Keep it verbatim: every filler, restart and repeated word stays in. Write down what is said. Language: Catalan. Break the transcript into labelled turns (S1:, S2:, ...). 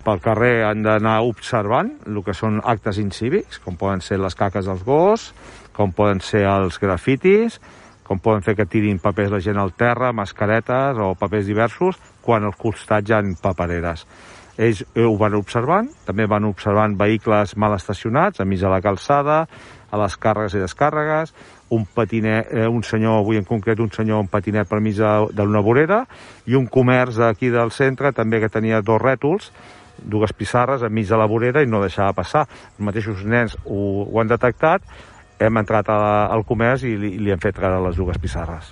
S1: pel carrer han d'anar observant el que són actes incívics, com poden ser les caques dels gossos, com poden ser els grafitis, com poden fer que tirin papers la gent al terra, mascaretes o papers diversos, quan als costats hi ha papereres. Ells ho van observant, també van observant vehicles mal estacionats, a mig de la calçada, a les càrregues i descàrregues, un patinet, eh, un senyor, avui en concret un senyor, un patinet per mig d'una vorera, i un comerç d'aquí del centre també que tenia dos rètols, dues pissarres enmig de la vorera i no deixava passar. Els mateixos nens ho, ho han detectat, hem entrat a, al comerç i li, li hem fet treure les dues pissarres.